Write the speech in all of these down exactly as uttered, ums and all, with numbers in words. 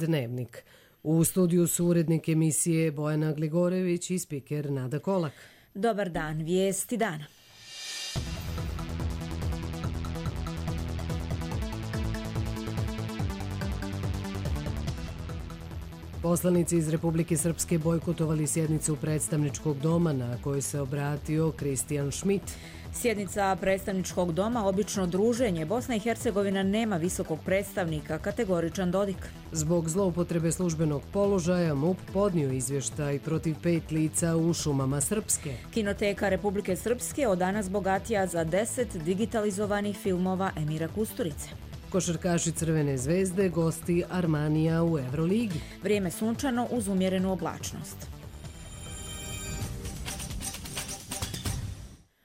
Dnevnik. U studiju su urednik emisije Bojana Gligorević i spiker Nada Kolak. Dobar dan, vijesti dana. Poslanici iz Republike Srpske bojkotovali sjednicu predstavničkog doma na kojoj se obratio Christian Schmidt. Sjednica predstavničkog doma, obično druženje, Bosna i Hercegovina nema visokog predstavnika, kategoričan Dodik. Zbog zloupotrebe službenog položaja M U P podnio izvještaj protiv pet lica u šumama Srpske. Kinoteka Republike Srpske od danas bogatija za deset digitalizovanih filmova Emira Kusturice. Košarkaši Crvene zvezde gosti Armanija u Euroligi. Vrijeme sunčano uz umjerenu oblačnost.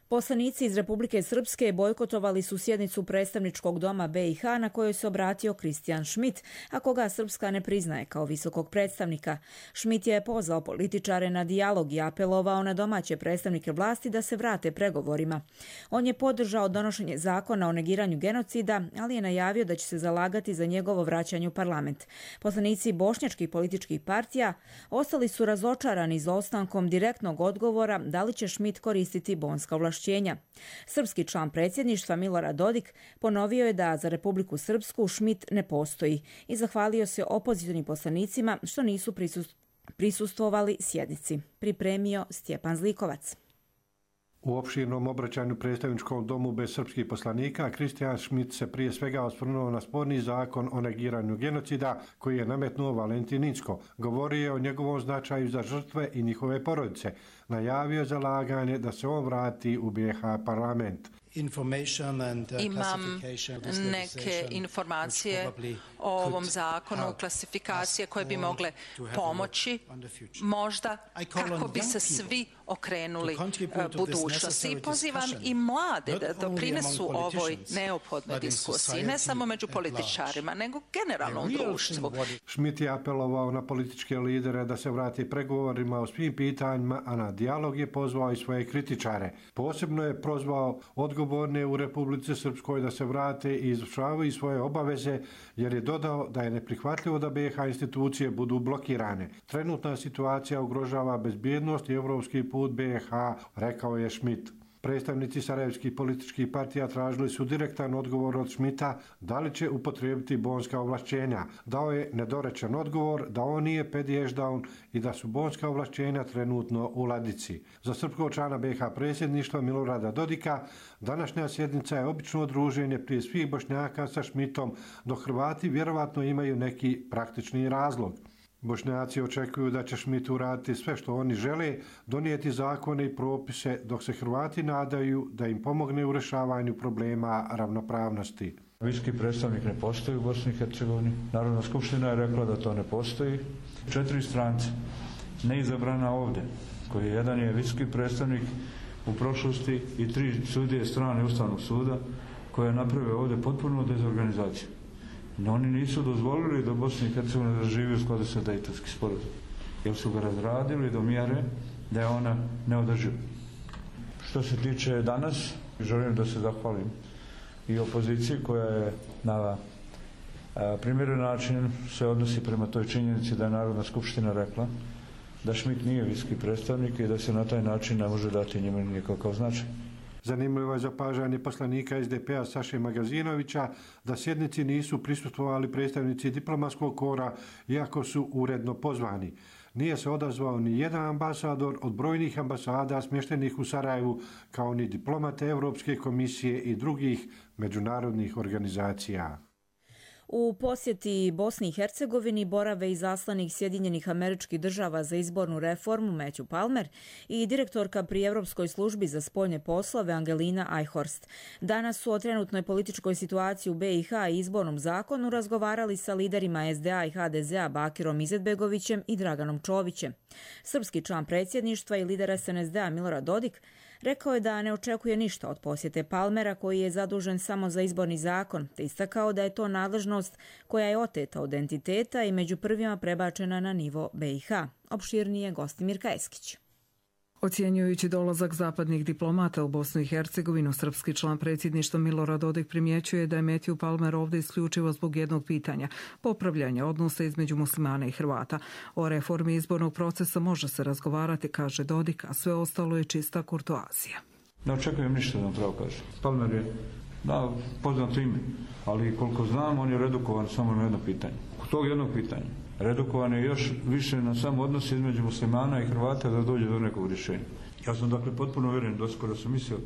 Poslanici iz Republike Srpske bojkotovali su sjednicu predstavničkog doma B i H na kojoj se obratio Christian Schmidt, a koga Srpska ne priznaje kao visokog predstavnika. Schmidt je pozvao političare na dijalog i apelovao na domaće predstavnike vlasti da se vrate pregovorima. On je podržao donošenje zakona o negiranju genocida, ali je najavio da će se zalagati za njegovo vraćanje u parlament. Poslanici bošnjačkih političkih partija ostali su razočarani izostankom direktnog odgovora da li će Schmidt koristiti bonska ovlašćenja. Srpski član predsjedništva Milorad Dodik ponovio je da za Republiku Srpsku Schmidt ne postoji i zahvalio se opozicionim poslanicima što nisu prisustvovali sjednici. Pripremio Stjepan Zlikovac. U opširnom obraćanju predstavničkom domu bez srpskih poslanika, Christian Schmidt se prije svega osvrnuo na sporni zakon o negiranju genocida koji je nametnuo Valentin Incko. Govorio je o njegovom značaju za žrtve i njihove porodice. Najavio je zalaganje da se on vrati u B i H parlament. Imam neke informacije o ovom zakonu, klasifikacije koje bi mogle pomoći možda kako bi se svi okrenuli budućnosti. I pozivam i mlade da doprinesu ovoj neophodnoj diskusiji, ne samo među političarima, nego generalno u društvu. Schmidt je apelovao na političke lidere da se vrati pregovorima o svim pitanjima, a na dijalog je pozvao i svoje kritičare. Posebno je prozvao odgovorne u Republici Srpskoj da se vrate i izvršavaju svoje obaveze, jer je dodao da je neprihvatljivo da B i H institucije budu blokirane. Trenutna situacija ugrožava bezbjednost i evropski put B i H, rekao je Schmidt. Predstavnici sarajevskih političkih partija tražili su direktan odgovor od Schmidta da li će upotrijebiti bonska ovlašćenja. Dao je nedorečen odgovor da on nije pedježdaun i da su bonska ovlašćenja trenutno u ladici. Za srpskog člana B i H predsjedništva Milorada Dodika današnja sjednica je obično druženje prije svih Bošnjaka sa Schmidtom, dok Hrvati vjerovatno imaju neki praktični razlog. Bošnjaci očekuju da će Schmidt uraditi sve što oni žele, donijeti zakone i propise, dok se Hrvati nadaju da im pomogne u rješavanju problema ravnopravnosti. Viski predstavnik ne postoji u Bosni i Hercegovini. Narodna skupština je rekla da to ne postoji. Četiri strance neizabrana ovdje, koji jedan je viski predstavnik u prošlosti i tri sudije strane Ustavnog suda koje je napravio ovdje potpuno dezorganizaciju. No, oni nisu dozvolili da Bosna i Hercegovina zaživi u skladu sa Dejtonski sporazum, jer su ga razradili do mjere da je ona neodrživa. Što se tiče danas, želim da se zahvalim i opoziciji koja je na primjeren način se odnosi prema toj činjenici da je Narodna skupština rekla da Schmidt nije viski predstavnik i da se na taj način ne može dati njima nikakav značaj. Zanimljivo je zapažanje poslanika S D P-a Saše Magazinovića da sjednici nisu prisustvovali predstavnici diplomatskog kora, iako su uredno pozvani. Nije se odazvao ni jedan ambasador od brojnih ambasada smještenih u Sarajevu, kao ni diplomate Europske komisije i drugih međunarodnih organizacija. U posjeti Bosni i Hercegovini borave izaslanik Sjedinjenih Američkih Država za izbornu reformu Matthew Palmer i direktorka pri Europskoj službi za spoljne poslove Angelina Eichhorst. Danas su o trenutnoj političkoj situaciji u B i H i izbornom zakonu razgovarali sa liderima S D A i H D Z-a Bakirom Izetbegovićem i Draganom Čovićem. Srpski član predsjedništva i lider S N S D-a Milorad Dodik rekao je da ne očekuje ništa od posjete Palmera, koji je zadužen samo za izborni zakon, te istakao da je to nadležnost koja je oteta od entiteta i među prvima prebačena na nivo B i H. Opširnije Gostimir Kajeskić. Ocjenjujući dolazak zapadnih diplomata u Bosnu i Hercegovinu, srpski član predsjedništva Milorad Dodik primjećuje da je Matthew Palmer ovdje isključivo zbog jednog pitanja, popravljanja odnosa između muslimana i Hrvata. O reformi izbornog procesa može se razgovarati, kaže Dodik, a sve ostalo je čista kurtoazija. Ne očekujem ništa da vam pravo kažem. Palmer je, da, poznato ime, ali koliko znam, on je redukovan samo na jedno pitanje. Kod tog jednog pitanja redukovan je još više na sam odnos između muslimana i Hrvata da dođe do nekog rješenja. Ja sam dakle potpuno uvjeren, doskoro sam mislio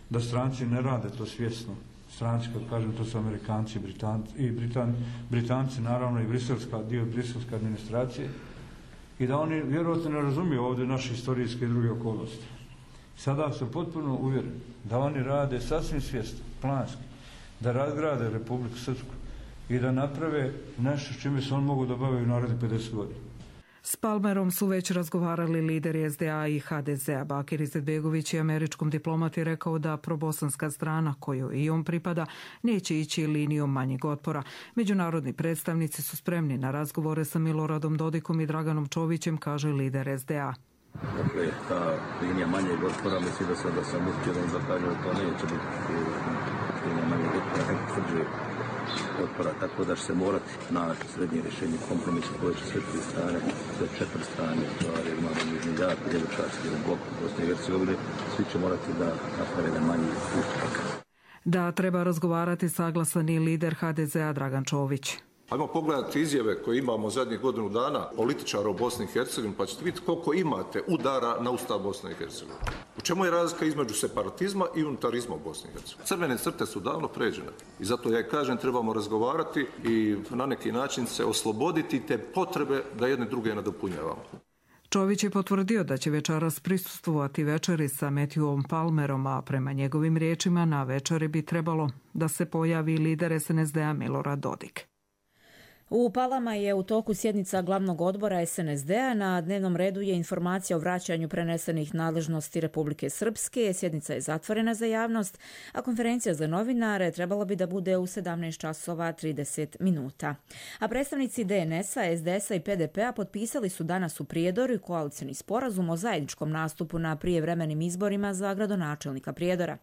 da stranci ne rade to svjesno. Stranci, kad kažem, to su Amerikanci Britanci, i Britan, Britanci, naravno i briselska, dio briselske administracije, i da oni vjerojatno ne razumiju ovdje naše historijske i druge okolnosti. Sada sam potpuno uvjeren da oni rade sasvim svjesno, planski, da razgrade Republiku Srpsku i da naprave nešto s čime se on mogu da bave u narednih pedeset godina. S Palmerom su već razgovarali lideri S D A i H D Z-a. Bakir Izetbegović je američkom diplomati rekao da probosanska strana, kojoj i on pripada, neće ići linijom manjeg otpora. Međunarodni predstavnici su spremni na razgovore sa Miloradom Dodikom i Draganom Čovićem, kaže lider S D A. Dakle, ta linija manjeg otpora, mislim da sada sam uspjedan da kažem da to neće biti linija manjeg otpora, neko srđe otpora, tako da će se morati naći srednje rješenje kompromisa koje će sve tri strane, sve četiri strane, jer imamo između jako djeločarski jedan blok u Bosni i Hercegovini, svi će morati da naprave jedan manji ustupak. Da treba razgovarati, saglasan i lider H D Z-a Dragan Čović. Ajmo pogledati izjave koje imamo zadnjih godinu dana političara u Bosni i Hercegovini, pa ćete vidjeti koliko imate udara na Ustav Bosne i Hercegovine. U čemu je razlika između separatizma i unitarizma u Bosni i Hercegovini? Crvene crte su davno pređene i zato ja kažem trebamo razgovarati i na neki način se osloboditi te potrebe da jedne druge nadopunjavamo. Čović je potvrdio da će večeras prisustvovati večeri sa Matthewom Palmerom, a prema njegovim riječima na večeri bi trebalo da se pojavi lider S N S D-a Milorad Dodik. U Palama je u toku sjednica glavnog odbora S N S D-a. Na dnevnom redu je informacija o vraćanju prenesenih nadležnosti Republike Srpske. Sjednica je zatvorena za javnost, a konferencija za novinare trebala bi da bude u sedamnaest časova trideset minuta. A predstavnici D N S-a, S D S-a i P D P-a potpisali su danas u Prijedoru koalicioni sporazum o zajedničkom nastupu na prijevremenim izborima za gradonačelnika Prijedora.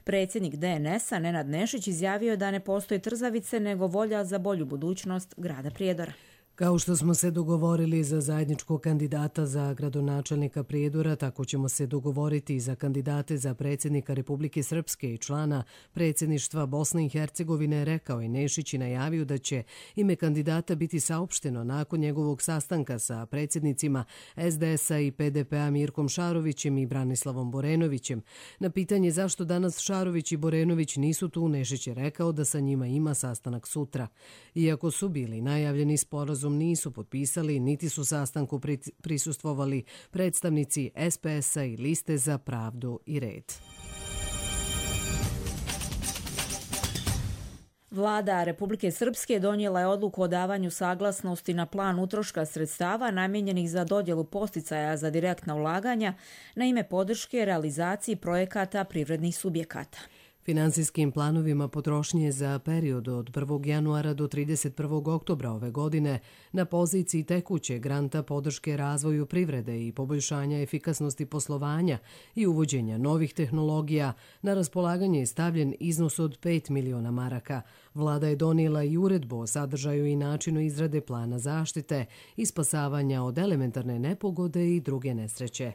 Predsjednik D N S-a Nenad Nešić izjavio da ne postoji trzavice nego volja za bolju budućnost grada Prijedora. Kao što smo se dogovorili za zajedničkog kandidata za gradonačelnika Prijedora, tako ćemo se dogovoriti i za kandidate za predsjednika Republike Srpske i člana predsjedništva Bosne i Hercegovine, rekao je Nešić i najavio da će ime kandidata biti saopšteno nakon njegovog sastanka sa predsjednicima S D S-a i P D P-a Mirkom Šarovićem i Branislavom Borenovićem. Na pitanje zašto danas Šarović i Borenović nisu tu, Nešić je rekao da sa njima ima sastanak sutra. Iako su bili najavljeni sporazum nisu potpisali, niti su sastanku prisustvovali predstavnici S P S-a i Liste za pravdu i red. Vlada Republike Srpske donijela je odluku o davanju saglasnosti na plan utroška sredstava namijenjenih za dodjelu posticaja za direktna ulaganja na ime podrške realizaciji projekata privrednih subjekata. Finansijskim planovima potrošnje za period od prvog januara do trideset prvog oktobra ove godine na poziciji tekuće granta podrške razvoju privrede i poboljšanja efikasnosti poslovanja i uvođenja novih tehnologija na raspolaganje je stavljen iznos od pet miliona maraka. Vlada je donijela i uredbu o sadržaju i načinu izrade plana zaštite i spasavanja od elementarne nepogode i druge nesreće.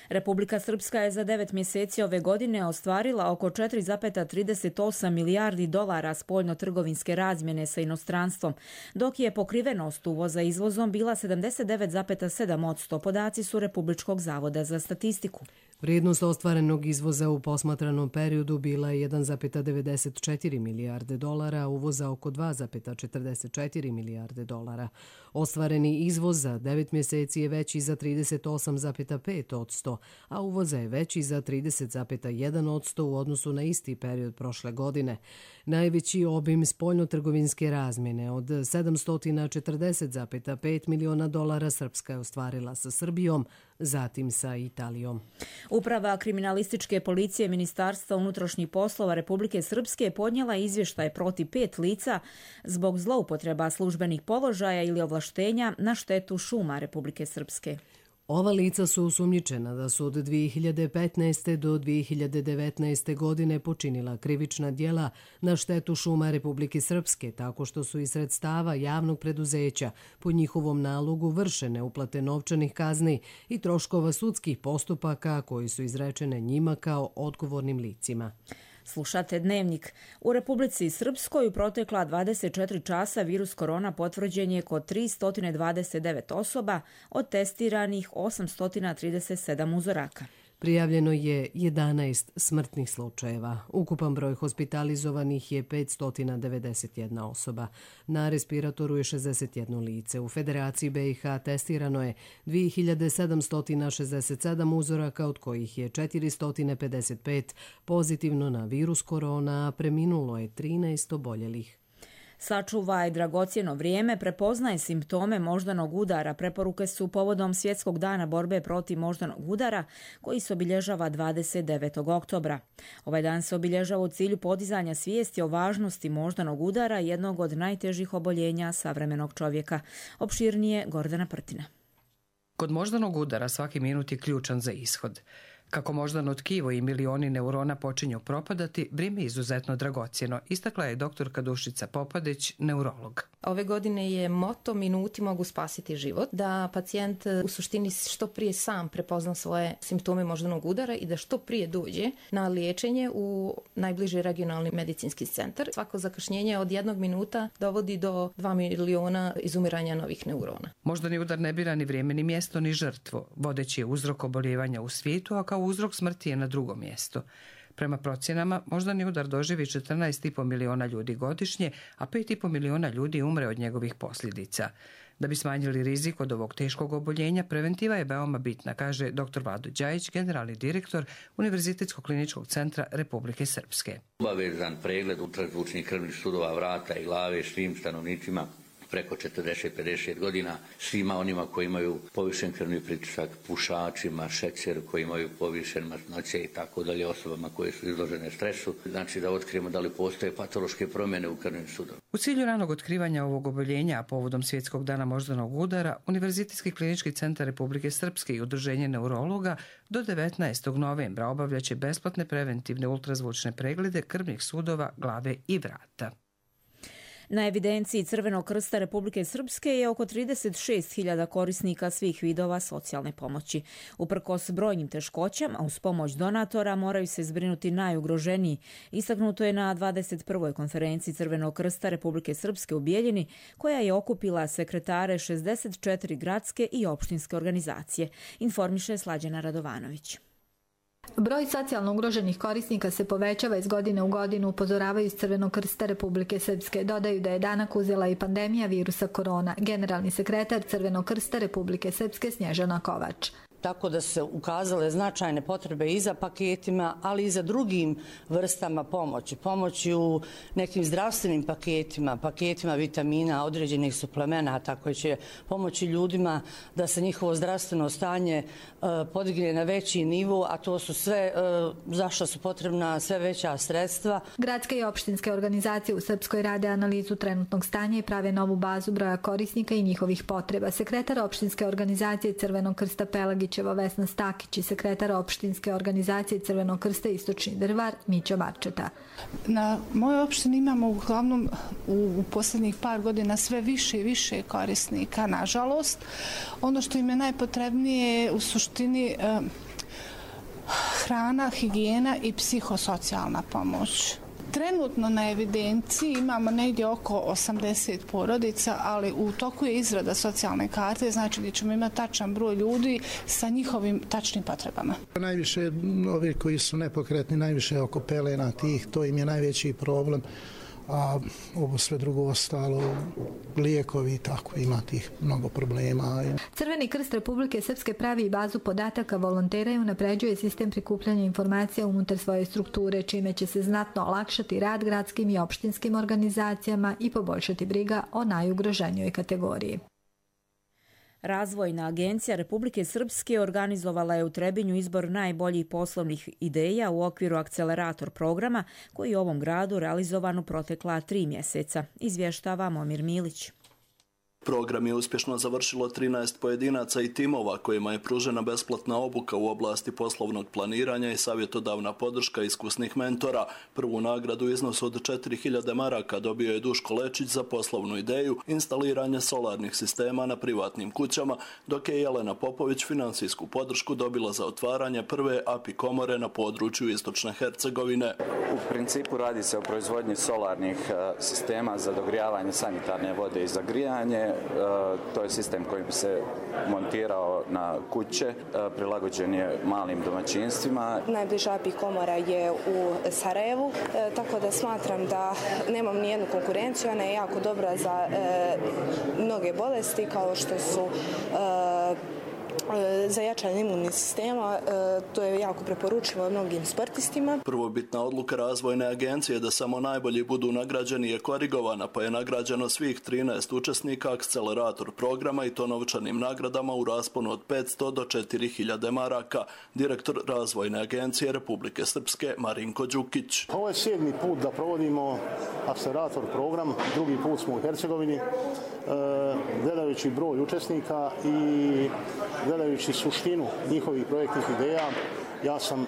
Republika Srpska je za devet mjeseci ove godine ostvarila oko četiri zarez trideset osam milijardi dolara spoljno-trgovinske razmjene sa inostranstvom, dok je pokrivenost uvoza izvozom bila sedamdeset devet zarez sedam posto, podaci su Republičkog zavoda za statistiku. Vrijednost ostvarenog izvoza u posmatranom periodu bila je jedan zarez devedeset četiri milijarde dolara, a uvoza oko dva zarez četrdeset četiri milijarde dolara. Ostvareni izvoz za devet mjeseci je veći za trideset osam zarez pet posto, a uvoza je veći za trideset zarez jedan posto u odnosu na isti period prošle godine. Najveći obim spoljno-trgovinske razmjene od sedamsto četrdeset zarez pet miliona dolara Srpska je ostvarila sa Srbijom, zatim sa Italijom. Uprava kriminalističke policije Ministarstva unutrašnjih poslova Republike Srpske podnijela izvještaj protiv pet lica zbog zloupotreba službenih položaja ili ovlaštenja na štetu šuma Republike Srpske. Ova lica su osumnjičena da su od dvije hiljade petnaeste. do dvije hiljade devetnaeste. godine počinila krivična djela na štetu šuma Republike Srpske, tako što su iz sredstava javnog preduzeća po njihovom nalogu vršene uplate novčanih kazni i troškova sudskih postupaka koji su izrečene njima kao odgovornim licima. Slušate Dnevnik. U Republici Srpskoj u protekla dvadeset četiri časa virus korona potvrđen je kod tristo dvadeset devet osoba, od testiranih osamsto trideset sedam uzoraka. Prijavljeno je jedanaest smrtnih slučajeva. Ukupan broj hospitalizovanih je petsto devedeset jedna osoba. Na respiratoru je šezdeset jedno lice. U Federaciji B i H testirano je dvije hiljade sedamsto šezdeset sedam uzoraka, od kojih je četiristo pedeset pet pozitivno na virus korona, a preminulo je trinaest oboljelih. Sačuvaj dragocjeno vrijeme, prepoznaje simptome moždanog udara. Preporuke su povodom Svjetskog dana borbe protiv moždanog udara, koji se obilježava dvadeset devetog oktobra. Ovaj dan se obilježava u cilju podizanja svijesti o važnosti moždanog udara, jednog od najtežih oboljenja savremenog čovjeka. Opširnije Gordana Prtina. Kod moždanog udara svaki minut je ključan za ishod. Kako moždano tkivo i milioni neurona počinju propadati, vrijeme je izuzetno dragocjeno, istakla je doktorka Dušica Popadić, neurolog. Ove godine je moto minuti mogu spasiti život, da pacijent u suštini što prije sam prepozna svoje simptome moždanog udara i da što prije dođe na liječenje u najbliži regionalni medicinski centar. Svako zakašnjenje od jednog minuta dovodi do dva miliona izumiranja novih neurona. Moždani udar ne bira ni vrijeme, ni mjesto, ni žrtvu. Vodeći je uzrok oboljevanja u svijetu, a kao uzrok smrti je na drugom mjestu. Prema procjenama, moždani udar doživi četrnaest i po miliona ljudi godišnje, a pet i po miliona ljudi umre od njegovih posljedica. Da bi smanjili rizik od ovog teškog oboljenja, preventiva je veoma bitna, kaže dr. Vlado Đajić, generalni direktor Univerzitetskog kliničkog centra Republike Srpske. Obavezan pregled ultrazvučnih krvnih sudova vrata i glave svim stanovnicima preko četrdeset do pedeset godina, svima onima koji imaju povišen krvni pritisak, pušačima, šećer, koji imaju povišen masnoće i tako dalje, osobama koje su izložene stresu, znači da otkrijemo da li postoje patološke promjene u krvnim sudovima. U cilju ranog otkrivanja ovog oboljenja, a povodom Svjetskog dana moždanog udara, Univerzitetski klinički centar Republike Srpske i Udruženje neurologa do devetnaestog novembra obavljaće besplatne preventivne ultrazvučne preglede krvnih sudova, glave i vrata. Na evidenciji Crvenog krsta Republike Srpske je oko trideset šest hiljada korisnika svih vidova socijalne pomoći. Uprkos brojnim teškoćama, uz pomoć donatora moraju se zbrinuti najugroženiji. Istaknuto je na dvadeset prvoj konferenciji Crvenog krsta Republike Srpske u Bijeljini, koja je okupila sekretare šezdeset četiri gradske i opštinske organizacije, informiše Slađana Radovanović. Broj socijalno ugroženih korisnika se povećava iz godine u godinu, upozoravaju iz Crvenog krsta Republike Srpske. Dodaju da je danak uzela i pandemija virusa korona. Generalni sekretar Crvenog krsta Republike Srpske Snježana Kovač. Tako da se ukazale značajne potrebe i za paketima, ali i za drugim vrstama pomoći. Pomoći u nekim zdravstvenim paketima, paketima vitamina, određenih suplemenata koji će pomoći ljudima da se njihovo zdravstveno stanje podigne na veći nivo, a to su sve za što su potrebna sve veća sredstva. Gradske i opštinske organizacije u Srpskoj rade analizu trenutnog stanja i prave novu bazu broja korisnika i njihovih potreba. Sekretar opštinske organizacije Crvenog krsta Pelagić Vesna Stakić i sekretar opštinske organizacije Crvenog krsta Istočni Drvar Mićo Marčeta. Na mojoj opštini imamo uglavnom u, u posljednjih par godina sve više i više korisnika, nažalost. Ono što im je najpotrebnije je u suštini eh, hrana, higijena i psihosocijalna pomoć. Trenutno na evidenciji imamo negdje oko osamdeset porodica, ali u toku je izrada socijalne karte, znači da ćemo imati tačan broj ljudi sa njihovim tačnim potrebama. Najviše ovi koji su nepokretni, najviše oko pelena tih, to im je najveći problem, a ovo sve drugo ostalo, lijekovi i tako, ima tih mnogo problema. Crveni krst Republike Srpske pravi i bazu podataka volontera i unapređuje sistem prikupljanja informacija unutar svoje strukture, čime će se znatno olakšati rad gradskim i opštinskim organizacijama i poboljšati briga o najugroženijoj kategoriji. Razvojna agencija Republike Srpske organizovala je u Trebinju izbor najboljih poslovnih ideja u okviru akcelerator programa koji je u ovom gradu realizovan u protekla tri mjeseca, izvještava Momir Milić. Program je uspješno završilo trinaest pojedinaca i timova kojima je pružena besplatna obuka u oblasti poslovnog planiranja i savjetodavna podrška iskusnih mentora. Prvu nagradu u iznosu od četiri hiljade maraka dobio je Duško Lečić za poslovnu ideju instaliranje solarnih sistema na privatnim kućama, dok je Jelena Popović financijsku podršku dobila za otvaranje prve A P I komore na području istočne Hercegovine. U principu radi se o proizvodnji solarnih sistema za dogrijavanje sanitarne vode i za grijanje. To je sistem koji bi se montirao na kuće, prilagođen je malim domaćinstvima. Najbliža A P I komora je u Sarajevu, tako da smatram da nemam nijednu konkurenciju. Ona je jako dobra za mnoge bolesti kao što su za jačanje imunnih sistema, to je jako preporučivo mnogim sportistima. Prvobitna odluka Razvojne agencije da samo najbolji budu nagrađeni je korigovana, pa je nagrađeno svih trinaest učesnika akcelerator programa i to novčanim nagradama u rasponu od petsto do četiri hiljade maraka. Direktor Razvojne agencije Republike Srpske Marinko Đukić. Ovo je sedmi put da provodimo akcelerator program, drugi put smo u Hercegovini. Gledajući broj učesnika i gledajući suštinu njihovih projektnih ideja, ja sam e,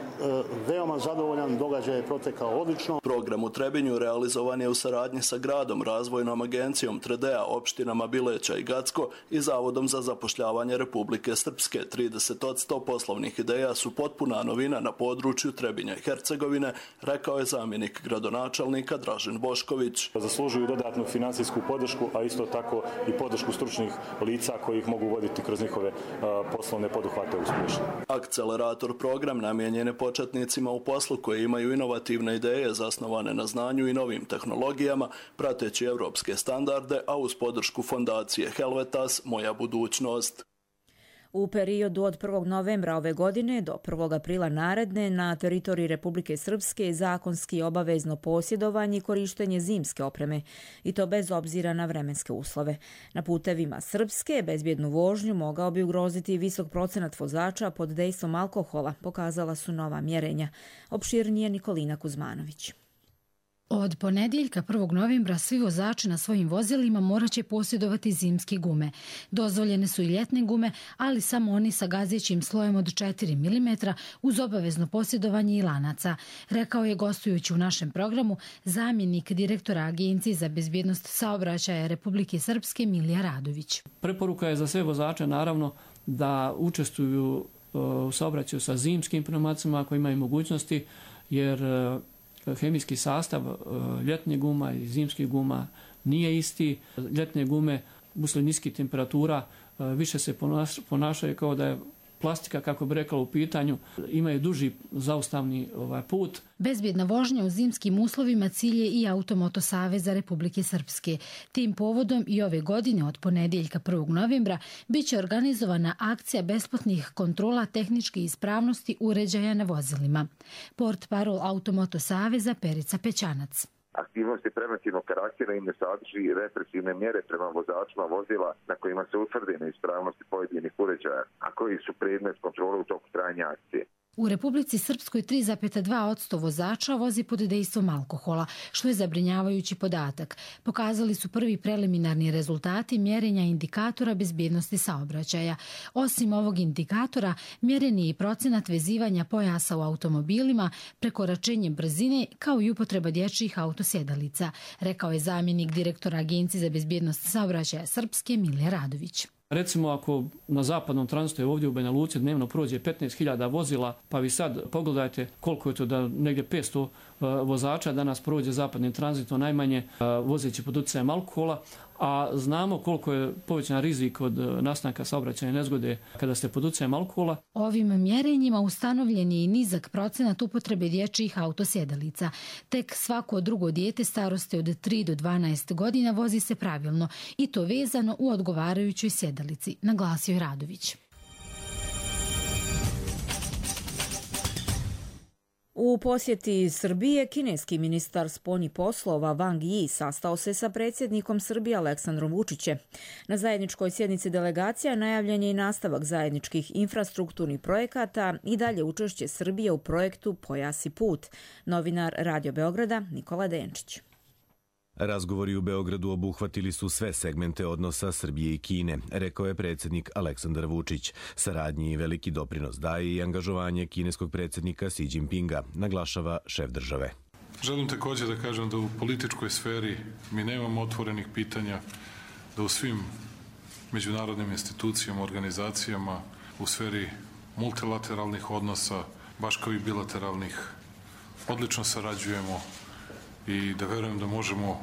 veoma zadovoljan, događaj je protekao odlično. Program u Trebinju realizovan je u saradnji sa gradom, Razvojnom agencijom Tredea, opštinama Bileća i Gacko i Zavodom za zapošljavanje Republike Srpske. trideset posto poslovnih ideja su potpuna novina na području Trebinja i Hercegovine, rekao je zamjenik gradonačelnika Dražen Bošković. Zaslužuju dodatnu finansijsku podršku, a isto tako i podršku stručnih lica koji ih mogu voditi kroz njihove uh, poslovne poduhvate uspješno. Akcelerator program namijenjene početnicima u poslu koji imaju inovativne ideje zasnovane na znanju i novim tehnologijama, prateći evropske standarde, a uz podršku fondacije Helvetas Moja budućnost. U periodu od prvog novembra ove godine do prvog aprila naredne na teritoriji Republike Srpske zakonski obavezno posjedovanje i korištenje zimske opreme, i to bez obzira na vremenske uslove. Na putevima Srpske bezbjednu vožnju mogao bi ugroziti visok procenat vozača pod dejstvom alkohola, pokazala su nova mjerenja. Opširnije Nikolina Kuzmanović. Od ponedjeljka prvog novembra svi vozači na svojim vozilima morat će posjedovati zimske gume. Dozvoljene su i ljetne gume, ali samo oni sa gazećim slojem od četiri milimetra uz obavezno posjedovanje i lanaca, rekao je gostujući u našem programu zamjenik direktora Agencije za bezbjednost saobraćaja Republike Srpske Milija Radović. Preporuka je za sve vozače naravno da učestvuju u saobraćaju sa zimskim pneumacima ako imaju mogućnosti, jer hemijski sastav ljetne guma i zimskih guma nije isti. Ljetne gume usled niskih temperatura više se ponašaju kao da je plastika, kako bi rekla, u pitanju, imaju duži zaustavni ovaj, put. Bezbjedna vožnja u zimskim uslovima cilj je i Automoto Saveza Republike Srpske. Tim povodom i ove godine od ponedjeljka prvog novembra bit će organizovana akcija besplatnih kontrola tehničke ispravnosti uređaja na vozilima. Portparol Automoto Saveza Perica Pećanac. Aktivnosti preventivnog karaktera im ne sadrži represivne mjere prema vozačima vozila na kojima se utvrde neispravnosti pojedinih uređaja, a koji su predmet kontrole u toku trajanja akcije. U Republici Srpskoj tri zarez dva posto vozača vozi pod dejstvom alkohola, što je zabrinjavajući podatak. Pokazali su prvi preliminarni rezultati mjerenja indikatora bezbjednosti saobraćaja. Osim ovog indikatora, mjeren je i procenat vezivanja pojasa u automobilima, prekoračenje brzine kao i upotreba dječjih autosjedalica, rekao je zamjenik direktora Agencije za bezbjednost saobraćaja Srpske Milija Radović. Recimo, ako na zapadnom tranzitu ovdje u Banja Luci dnevno prođe petnaest hiljada vozila, pa vi sad pogledajte koliko je to da negdje petsto vozača danas prođe zapadnim tranzitom najmanje vozeći pod utjecajem alkohola, a znamo koliko je povećan rizik od nastanka saobraćajne nezgode kada ste pod utjecajem alkohola. Ovim mjerenjima ustanovljen je i nizak procenat upotrebe dječjih autosjedalica. Tek svako drugo dijete starosti od tri do dvanaest godina vozi se pravilno i to vezano u odgovarajućoj sjedalici, naglasio je Radović. U posjeti Srbije, kineski ministar spoljnih poslova Wang Yi sastao se sa predsjednikom Srbije Aleksandrom Vučićem. Na zajedničkoj sjednici delegacija najavljen je i nastavak zajedničkih infrastrukturnih projekata i dalje učešće Srbije u projektu Pojas i put. Novinar Radio Beograda Nikola Denčić. Razgovori u Beogradu obuhvatili su sve segmente odnosa Srbije i Kine, rekao je predsjednik Aleksandar Vučić. Saradnji i veliki doprinos daje i angažovanje kineskog predsjednika Xi Jinpinga, naglašava šef države. Želim također da kažem da u političkoj sferi mi nemamo otvorenih pitanja, da u svim međunarodnim institucijama, organizacijama, u sferi multilateralnih odnosa, baš kao i bilateralnih, odlično sarađujemo i da verujem da možemo,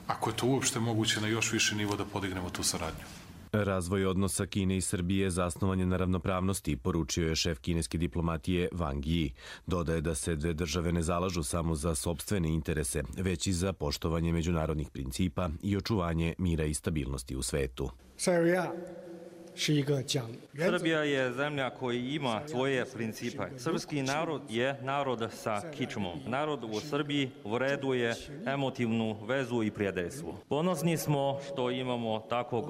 ako je to uopšte moguće, na još više nivo da podignemo tu saradnju. Razvoj odnosa Kine i Srbije zasnovan je na ravnopravnosti, poručio je šef kineske diplomatije Wang Yi. Dodaje da se dve države ne zalažu samo za sopstvene interese, već i za poštovanje međunarodnih principa i očuvanje mira i stabilnosti u svetu. Srbija je zemlja koja ima svoje principe. Srpski narod je narod sa kičmom. Narod u Srbiji vreduje emotivnu vezu i prijateljstvo. Ponosni smo što imamo takvog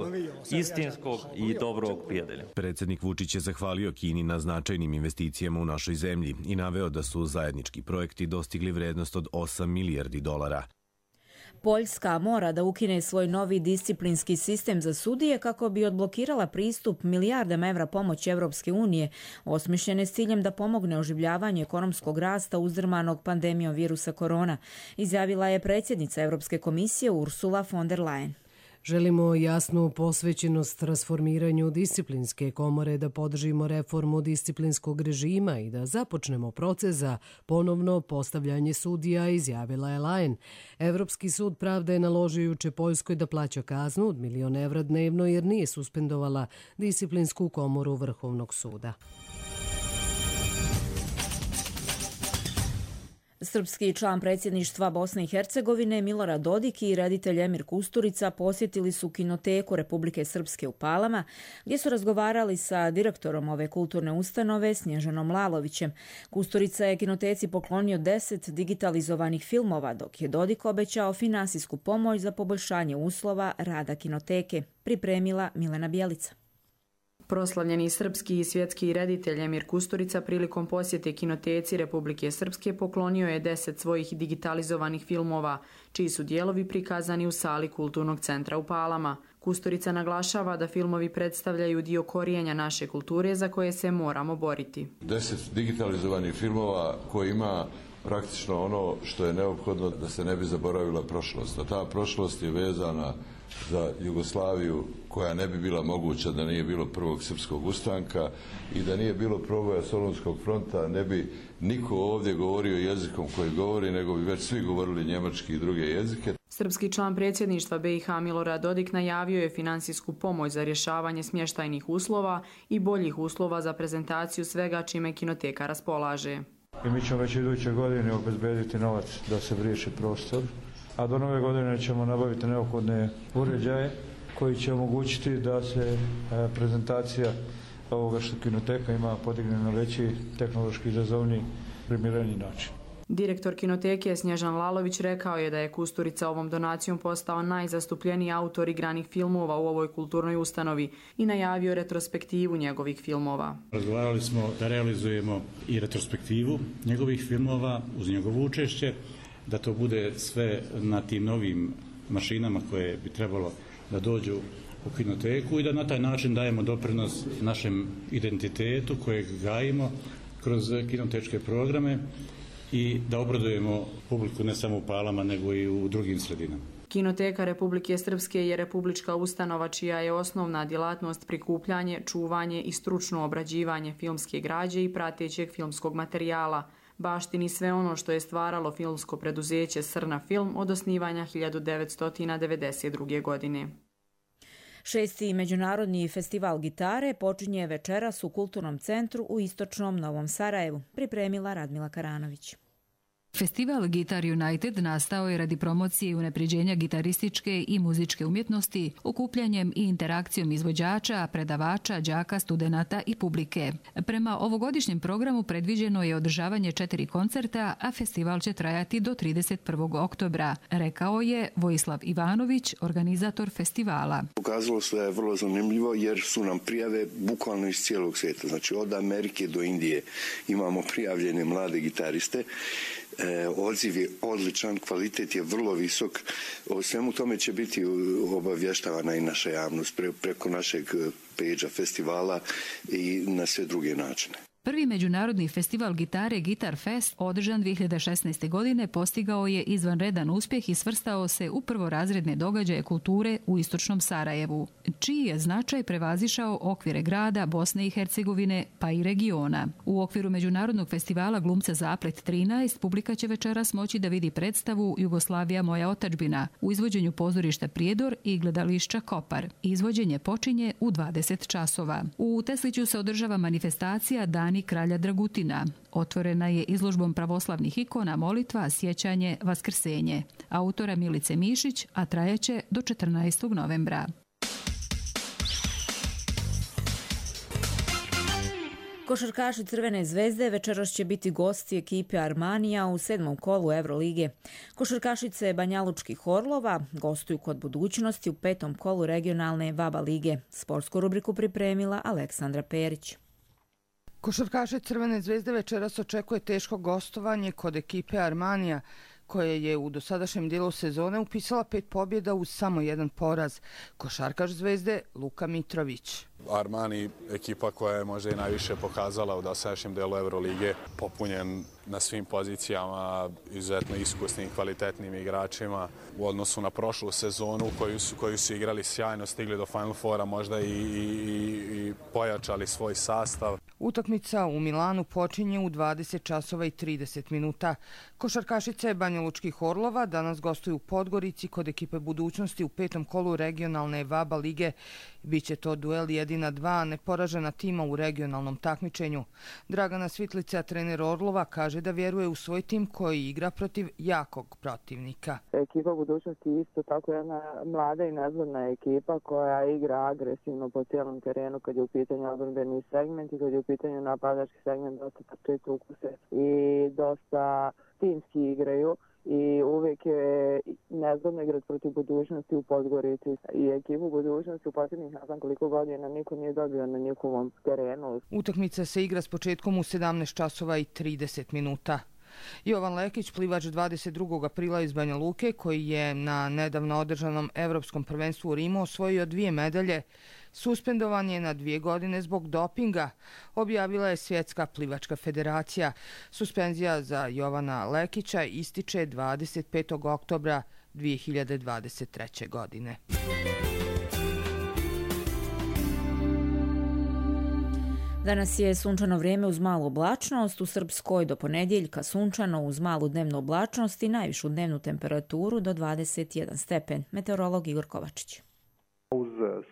istinskog i dobrog prijatelja. Predsjednik Vučić je zahvalio Kini na značajnim investicijama u našoj zemlji i naveo da su zajednički projekti dostigli vrednost od osam milijardi dolara. Poljska mora da ukine svoj novi disciplinski sistem za sudije kako bi odblokirala pristup milijardama evra pomoći Evropske unije, osmišljene s ciljem da pomogne oživljavanju ekonomskog rasta uzdrmanog pandemijom virusa korona, izjavila je predsjednica Evropske komisije Ursula von der Leyen. Želimo jasnu posvećenost transformiranju disciplinske komore, da podržimo reformu disciplinskog režima i da započnemo proces za ponovno postavljanje sudija, izjavila je Leyen. Evropski sud pravde je naložio juče Poljskoj da plaća kaznu od milion evra dnevno jer nije suspendovala disciplinsku komoru Vrhovnog suda. Srpski član predsjedništva Bosne i Hercegovine Milorad Dodik i reditelj Emir Kusturica posjetili su kinoteku Republike Srpske u Palama, gdje su razgovarali sa direktorom ove kulturne ustanove Snježanom Lalovićem. Kusturica je kinoteci poklonio deset digitalizovanih filmova, dok je Dodik obećao finansijsku pomoć za poboljšanje uslova rada kinoteke, pripremila Milena Bjelica. Proslavljeni srpski i svjetski reditelj Emir Kusturica prilikom posjete kinoteci Republike Srpske poklonio je deset svojih digitalizovanih filmova, čiji su dijelovi prikazani u sali Kulturnog centra u Palama. Kusturica naglašava da filmovi predstavljaju dio korijenja naše kulture za koje se moramo boriti. Deset digitalizovanih filmova koji ima praktično ono što je neophodno da se ne bi zaboravila prošlost. A ta prošlost je vezana za Jugoslaviju koja ne bi bila moguća da nije bilo prvog srpskog ustanka i da nije bilo proboja Solunskog fronta, ne bi niko ovdje govorio jezikom koji govori, nego bi već svi govorili njemački i druge jezike. Srpski član predsjedništva B i H Milorad Dodik najavio je finansijsku pomoć za rješavanje smještajnih uslova i boljih uslova za prezentaciju svega čime kinoteka raspolaže. I mi ćemo već iduće godine obezbediti novac da se riješi prostor, a do nove godine ćemo nabaviti neophodne uređaje koji će omogućiti da se prezentacija ovoga što kinoteka ima podigne na veći tehnološki izazovni primjereni način. Direktor kinoteke Snježan Lalović rekao je da je Kusturica ovom donacijom postao najzastupljeniji autor igranih filmova u ovoj kulturnoj ustanovi i najavio retrospektivu njegovih filmova. Razgovarali smo da realizujemo i retrospektivu njegovih filmova uz njegovo učešće, da to bude sve na tim novim mašinama koje bi trebalo da dođu u kinoteku i da na taj način dajemo doprinos našem identitetu kojeg gajimo kroz kinotečke programe i da obradujemo publiku ne samo u Palama nego i u drugim sredinama. Kinoteka Republike Srpske je republička ustanova čija je osnovna djelatnost prikupljanje, čuvanje i stručno obrađivanje filmske građe i pratećeg filmskog materijala. Baštini sve ono što je stvaralo filmsko preduzeće Srna Film od osnivanja hiljadu devetsto devedeset druge. godine. Šesti međunarodni festival gitare počinje večeras u Kulturnom centru u istočnom Novom Sarajevu, pripremila Radmila Karanović. Festival Guitar United nastao je radi promocije i unapređenja gitarističke i muzičke umjetnosti, okupljanjem i interakcijom izvođača, predavača, đaka, studenata i publike. Prema ovogodišnjem programu predviđeno je održavanje četiri koncerta, a festival će trajati do trideset prvog oktobra, rekao je Vojislav Ivanović, organizator festivala. Pokazalo se da je vrlo zanimljivo jer su nam prijave bukvalno iz cijelog svijeta, znači od Amerike do Indije imamo prijavljene mlade gitariste. odziv je odličan, kvalitet je vrlo visok. O svemu tome će biti obavještavana i naša javnost preko našeg pejđa festivala i na sve druge načine. Prvi međunarodni festival gitare Guitar Fest održan dvije hiljade šesnaeste. godine postigao je izvanredan uspjeh i svrstao se u prvorazredne događaje kulture u istočnom Sarajevu, čiji je značaj prevazišao okvire grada, Bosne i Hercegovine pa i regiona. U okviru međunarodnog festivala glumca Zaplet trinaest publika će večeras moći da vidi predstavu Jugoslavija moja otadžbina u izvođenju pozorišta Prijedor i gledališća Kopar. Izvođenje počinje u dvadeset časova. U Tesliću se održava manifestacija Dani kralja Dragutina. Otvorena je izložbom pravoslavnih ikona, molitva, sjećanje, vaskrsenje. Autora Milice Mišić, a trajaće do četrnaestog novembra. Košarkaši Crvene zvezde večeras će biti gosti ekipe Armanija u sedmom kolu Evrolige. Košarkašice Banjalučkih Orlova gostuju kod Budućnosti u petom kolu regionalne VABA lige. Sportsku rubriku pripremila Aleksandra Perić. Košarkaše Crvene zvezde večeras očekuje teško gostovanje kod ekipe Armanija, koja je u dosadašnjem dijelu sezone upisala pet pobjeda uz samo jedan poraz. Košarkaš Zvezde Luka Mitrović. Armani, ekipa koja je možda i najviše pokazala u dosadašnjem delu Evrolige, popunjen na svim pozicijama, izuzetno iskusnim, kvalitetnim igračima u odnosu na prošlu sezonu koju su, koju su igrali sjajno, stigli do Final Fora, možda i, i, i pojačali svoj sastav. Utakmica u Milanu počinje u dvadeset časova i trideset minuta. Košarkašice Banjalučkih Orlova danas gostuju u Podgorici kod ekipe Budućnosti u petom kolu regionalne VABA lige. Biće to duel jedina dva neporažena tima u regionalnom takmičenju. Dragana Svitlica, trener Orlova, kaže da vjeruje u svoj tim koji igra protiv jakog protivnika. Ekipa Budućnosti je isto tako jedna mlada i nezgodna ekipa koja igra agresivno po cijelom terenu kad je u pitanju odbrambeni segment i kad je u pitanju napadački segment, dosta trče trukuse i dosta timski igraju. I uvijek je nezgodno igrati protiv Budućnosti u Podgorici. I ekipu Budućnosti u posljednjih ne znam koliko godina niko nije dobio na njihovom terenu. Utakmica se igra s početkom u sedamnaest časova i trideset minuta. Jovan Lekić, plivač dvadeset drugog aprila iz Banja Luke, koji je na nedavno održanom Evropskom prvenstvu u Rimu osvojio dvije medalje, suspendovan je na dvije godine zbog dopinga, objavila je Svjetska plivačka federacija. Suspenzija za Jovana Lekića ističe dvadeset petog oktobra dvije hiljade dvadeset treće. godine. Danas je sunčano vrijeme uz malu oblačnost, u Srpskoj do ponedjeljka sunčano uz malu dnevnu oblačnost i najvišu dnevnu temperaturu do dvadeset jedan stepen. Meteorolog Igor Kovačić. Uz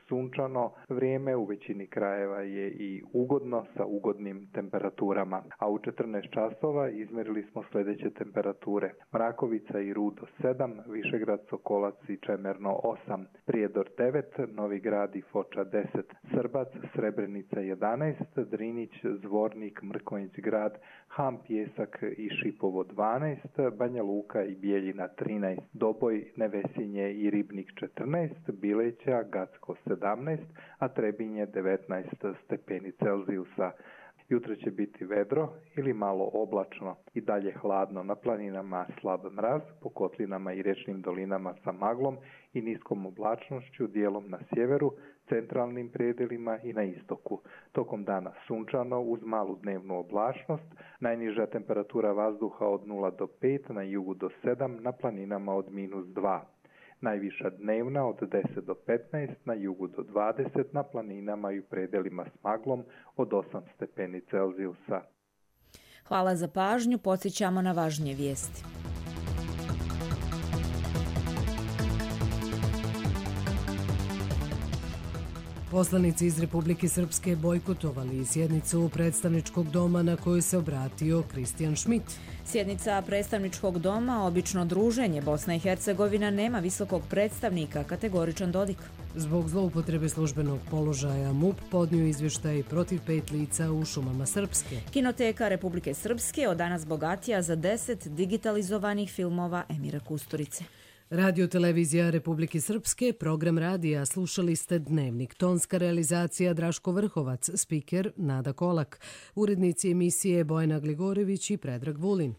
sunčano vrijeme u većini krajeva je i ugodno sa ugodnim temperaturama, a u četrnaest časova izmjerili smo sljedeće temperature. Mrakovica i Rudo sedam, Višegrad, Sokolac i Čemerno osam, Prijedor devet, Novi Grad i Foča deset, Srbac, Srebrenica jedanaest, Drinić, Zvornik, Mrkonjić Grad, Ham, Pjesak i Šipovo dvanaest, Banja Luka i Bijeljina trinaest, Doboj, Nevesinje i Ribnik četrnaest, Bileća, Gacko sedamnaest, a Trebinje devetnaest stepeni Celzijusa. Jutro će biti vedro ili malo oblačno i dalje hladno, na planinama slab mraz, po kotlinama i rečnim dolinama sa maglom i niskom oblačnošću, dijelom na sjeveru, centralnim predelima i na istoku. Tokom dana sunčano uz malu dnevnu oblačnost, najniža temperatura vazduha od nula do pet, na jugu do sedam, na planinama od minus dva. Najviša dnevna od deset do petnaest, na jugu do dvadeset, na planinama i u predelima s maglom od osam stepeni Celzijusa. Hvala za pažnju, podsjećamo na važnije vijesti. Poslanici iz Republike Srpske bojkotovali sjednicu predstavničkog doma na koju se obratio Kristijan Šmit. Sjednica predstavničkog doma, obično druženje, Bosna i Hercegovina nema visokog predstavnika, kategoričan Dodik. Zbog zloupotrebe službenog položaja MUP podnio izvještaj protiv pet lica u šumama Srpske. Kinoteka Republike Srpske od danas bogatija za deset digitalizovanih filmova Emira Kusturice. Radio televizija Republike Srpske, program radija, slušali ste Dnevnik, tonska realizacija Draško Vrhovac, spiker Nada Kolak, urednici emisije Bojana Gligorević i Predrag Vulin.